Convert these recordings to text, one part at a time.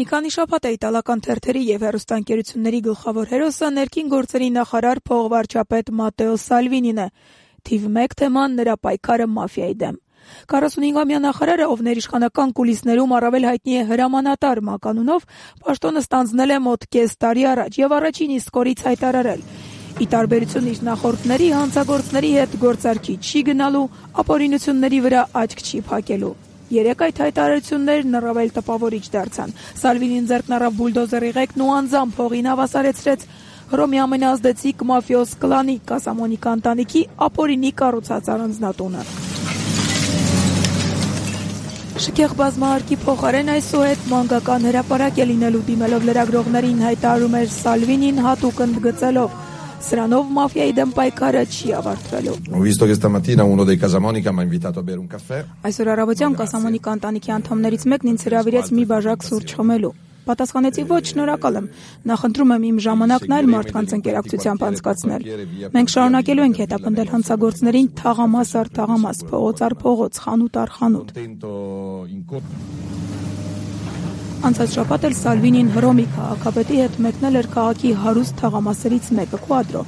Մի քանի շաբաթ է իտալական թերթերի եւ հեռուստաընկերությունների գլխավոր հերոսը ներքին գործերի նախարար փողվարչապետ Մատտեո Սալվինին է։ Թիվ 1 թեման նրա պայքարը մաֆիայի դեմ։ 45-ամյա նախարարը, ով ներիշխանական կուլիսներում առավել հայտնի է հրամանատար մականունով, պաշտոնը ստանձնել է մոտ կես տարի առաջ եւ առաջին իսկ օրից հայտարարել. ի տարբերություն իր նախորդների, հանցագործների հետ գործարքի չի գնալու, ապօրինությունների վրա աչք չի փակելու։ Երեք այդ հայտարարություններն առավել տպավորիչ դարձան։ Սալվինին ձեռքն առավ բուլդոզերի ղեկն ու անձամբ փողին հավասարեցրեց Հռոմի ամենազդեցիկ մաֆիոզ կլանի Կասամոնիկա ընտանիքի ապօրինի կառուցած առանձնատունը։ Շքեղ բազմահարկի փոխարեն այսուհետ մանկական հրապարակ է լինելու, դիմելով լրագրողներին հայտարարում էր Սալվինին հատուկ ընդգծելով. Սրանով մաֆիայի դեմ պայքարը չի ավարտվելու։ Այսօր առավոտյան Կասամոնիկա ընտանիքի անդամներից մեկն ինձ հրավիրեց մի բաժակ սուրճ խմելու։ Պատասխանեցի ոչ, շնորհակալ եմ։ Նախընտրում եմ իմ ժամանակն այլ մարդկանց ընկերակցությամբ անցկացնել։ Մենք շարունակելու ենք հետապնդել հանցագործներին թաղամաս առ թաղամաս, փողոց առ փողոց, խանութ առ խանութ։ Անցած շաբաթ էլ Սալվինին Հռոմի քաղաքապետի հետ մեկնել էր քաղաքի հարուստ թաղամասերից մեկը՝ Քուադրո,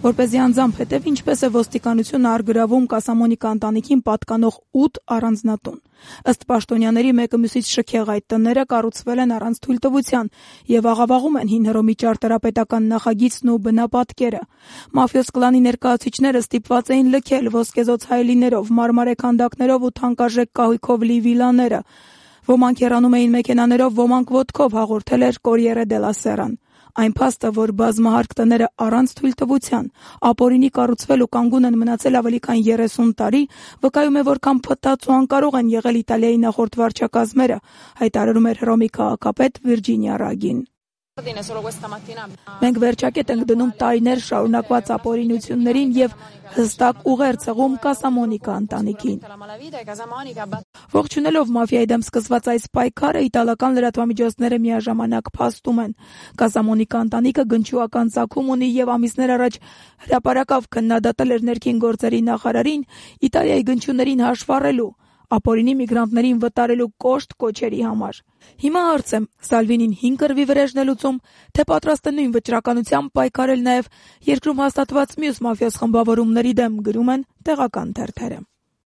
որպեսզի անձամբ հետև ինչպես է ոստիկանությունը առգրավում Կասամոնիկա ընտանիքին պատկանող 8 առանձնատուն։ Ըստ պաշտոնյաների մեկը մյուսից շքեղ այդ տները կառուցվել են առանց թույլտվության եւ աղավաղում են հին Հռոմի ճարտարապետական նախագիծն ու բնապատկերը։ Մաֆիոզ կլանի ներկայացուցիչները ստիպված էին լքել ոսկեզօծ հայելիներով, մարմարե քանդակներով ու թանկարժեք կահույքով լի վիլաները։ Ոմանք հեռանում էին մեքենաներով, ոմանք ոտքով, հաղորդել էր Կորիերը դելա Սերան։ Այն փաստը, որ բազմահարկ տները առանց թույլտվության ապօրինի կառուցվել ու կանգուն են մնացել ավելի քան 30 տարի, վկայում է, որքան փտած ու անկարող են եղել Իտալիայի նախորդ վարչակազմերը, հայտարարում էր Հռոմի քաղաքապետ Վիրջինիա Ռագին։ Մենք վերջակետ ենք դնում տարիներ շարունակված ապօրինություններին եւ հստակ ուղեր ցեղում Կասամոնիկա ընտանիքին։ Ողջունելով մաֆիայի դեմ սկսված այս պայքարը, իտալական լրատվամիջոցները միաժամանակ փաստում են. Կասամոնիկա ընտանիքը գնչուական ծագում ունի եւ ամիսներ առաջ հրապարակավ քննադատել էր ներքին գործերի նախարարին Իտալիայի գնչուներին հաշվառելու, ապօրինի միգրանտներին վտարելու կոշտ կոչերի համար։ Հիմա հարց է, Սալվինին 5 կռվի վրեժն է լուծում, թե պատրաստ է նույն վճռականությամբ պայքարել նաև երկրում հաստատված մյուս մաֆիոզ խմբավորումների դեմ, գրում են տեղական թերթերը։